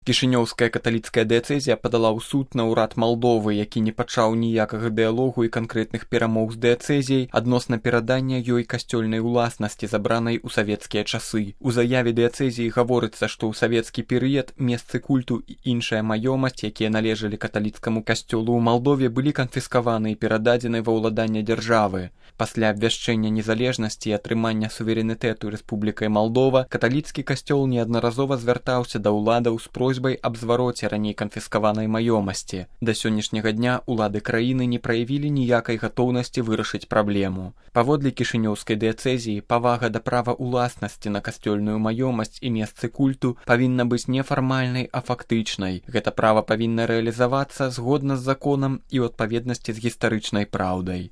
Кішынёўская каталіцкая дыяцэзія падала ў суд на ўрад Малдовы, які не пачаў ніякага дыялогу і канкрэтных перамоў з дыяцэзіяй адносна перадання ёй касцёльнай уласнасці, забранай у савецкія часы. У заяве дыяцэзіі гаворыцца, што ў савецкі перыяд месцы культу і іншая маёмасць, якія належалі каталіцкаму касцёлу ў Малдове, былі канфіскаваны і перададзены ва ўладанне дзяржавы. Пасля абвяшчэння незалежнасці і атрымання суверэнітэту Рэспублікай Малдова каталіцкі касцёл неаднаразова звяртаўся да ўладаў з просьбай аб звароце раней канфіскаванай маёмасці. Да сённяшняга дня улады краіны не праявілі ніякай гатоўнасці вырашыць праблему. Паводле кішынёўскай дыяцэзіі, павага да права ўласнасці на касцёльную маёмасць і месцы культу павінна быць не фармальнай, а фактычнай. Гэта права павінна рэалізавацца згодна з законам і ў адпаведнасці з гістарычнай праўдай.